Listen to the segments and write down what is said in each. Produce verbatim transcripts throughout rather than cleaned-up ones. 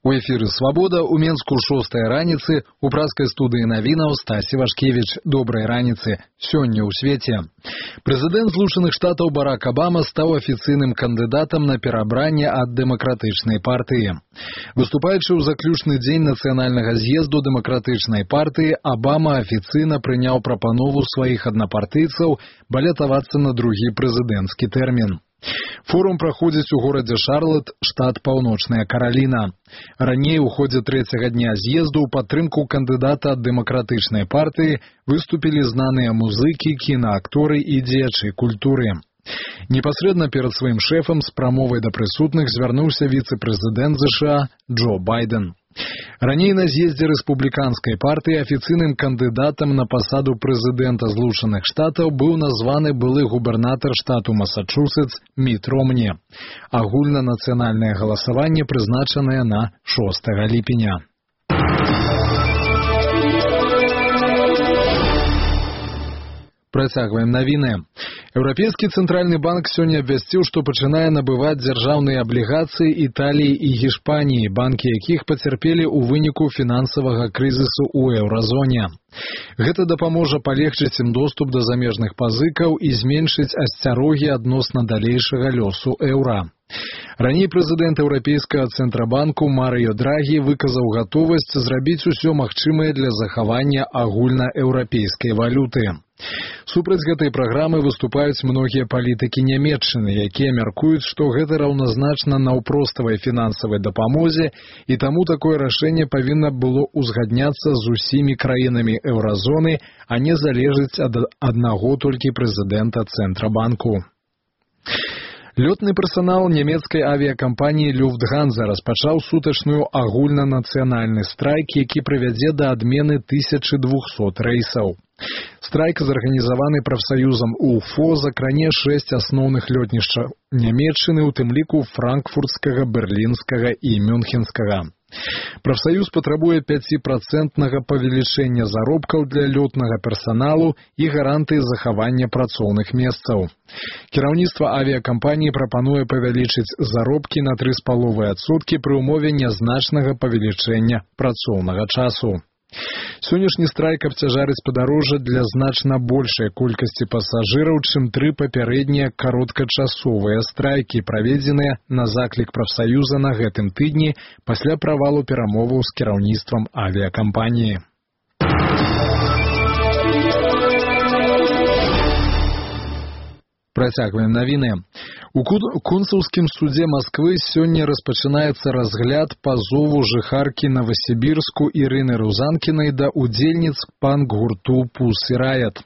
У эфіры «Свабода» у Менску шостая раніцы, у праскай студыі навінаў Стась Івашкевіч. Добрай раніцы. Сёння ў свеце. Прэзідэнт Злучаных Штатаў Барак Абама стаў афіцыйным кандыдатам на перабранне ад дэмакратычнай партыі. Выступаючы ў заключны дзень нацыянальнага з'езду дэмакратычнай партыі, Абама афіцыйна прыняў прапанову сваіх аднапартыйцаў балятавацца на другі прэзідэнцкі тэрмін. Форум праходзіць у горадзе Шарлот, штат Паўночная Караліна. Раней у ходзе трэцяга дня з'езду ў падтрымку кандыдата ад дэмакратычнай партыі выступілі знаныя музыкі, кінаакторы і дзеячы культуры. Непасрэдна перад сваім шэфам з прамовай да прысутных звярнуўся віцэ-прэзідэнт ЗША Джо Байден. Раней на з'ездзе рэспубліканскай партыі афіцыйным кандыдатам на пасаду прэзідэнта Злучаных Штатаў быў названы былы губернатар штату Масачусетс Міт Ромні. Агульнанацыянальнае галасаванне прызначанае на шостага ліпеня. Працягваем навіны. Еўрапейскі цэнтральны банк сёння абвясціў, што пачынае набываць дзяржаўныя аблігацыі Італіі і Гішпаніі, банкі якіх пацярпелі ў выніку фінансавага крызісу ў еўразоне. Гэта дапаможа палегчыць ім доступ да замежных пазыкаў і зменшыць асцярогі адносна далейшага лёсу еўра. Раней прэзідэнт Еўрапейскага цэнтрабанку Марыё Драгі выказаў гатовасць зрабіць усё магчымае для захавання агульнаеўрапейскай валюты. Супраць гэтай праграмы выступаюць многія палітыкі Нямецчыны, якія мяркуюць, што гэта раўназначна наўпроставай фінансавай дапамозе, і таму такое рашэнне павінна было ўзгадняцца з усімі краінамі еўразоны, а не залежыць ад аднаго толькі прэзідэнта Цэнтрабанку. Лётны персанал нямецкай авіякампаніі Люфтганза распачаў сутачную агульнанацыянальны страйк, які прывядзе да адмены тысячы двухсот рэйсаў. Страйк, зарганізаваны прафсаюзам УФО, закране шэсць асноўных лётнішчаў Нямецчыны, у тым ліку франкфуртскага, берлінскага і мюнхенскага. Прафсаюз патрабуе пяціпрацэнтнага павелічэння заробкаў для лётнага персаналу і гарантыі захавання працоўных месцаў. Кіраўніцтва авіякампаніі прапануе павялічыць заробкі на тры з паловай адсоткі пры ўмове нязначнага павелічэння працоўнага часу. Сённяшні страйк абцяжарыць падарожжа для значна большай колькасці пасажыраў, чым тры папярэднія кароткачасовыя страйкі, праведзеныя на заклік прафсаюза на гэтым тыдні пасля правалу перамоваў з кіраўніцтвам авіякампаніі. Працягваем навіны. У консульскім судзе Масквы сёння распачынаецца разгляд пазову жыхаркі Новасібірску Ірыны Рузанкінай да ўдзельніц панк-гурту «Пусі Раят».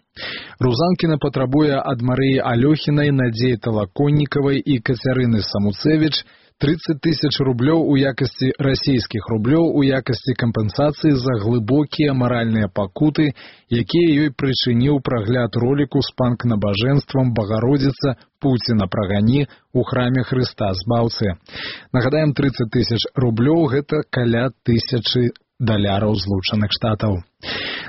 Рузанкіна патрабуе ад Марыі Алёхінай, Надзеі Талаконнікавай і Кацярыны Самуцевіч трыццаць тысяч рублёў у якасці расійскіх рублёў у якасці кампенсацыі за глыбокія маральныя пакуты, якія ёй прычыніў прагляд роліку з панк-набажэнствам «Багародзіца, Пуціна прагані» у храме Хрыста Збаўцы. Нагадаем, трыццаць тысяч рублёў – гэта каля тысячы даляраў Злучаных Штатаў.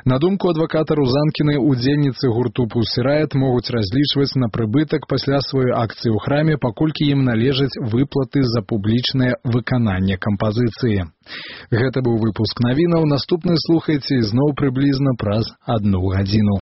На думку адваката Рузанкінай, удзельніцы гурту «Пусі Раят» могуць разлічваць на прыбытак пасля сваёй акцыі ў храме, паколькі ім належаць выплаты за публічнае выкананне кампазіцыі. Гэта быў выпуск навінаў. Наступны слухайце ізноў прыблізна праз адну гадзіну.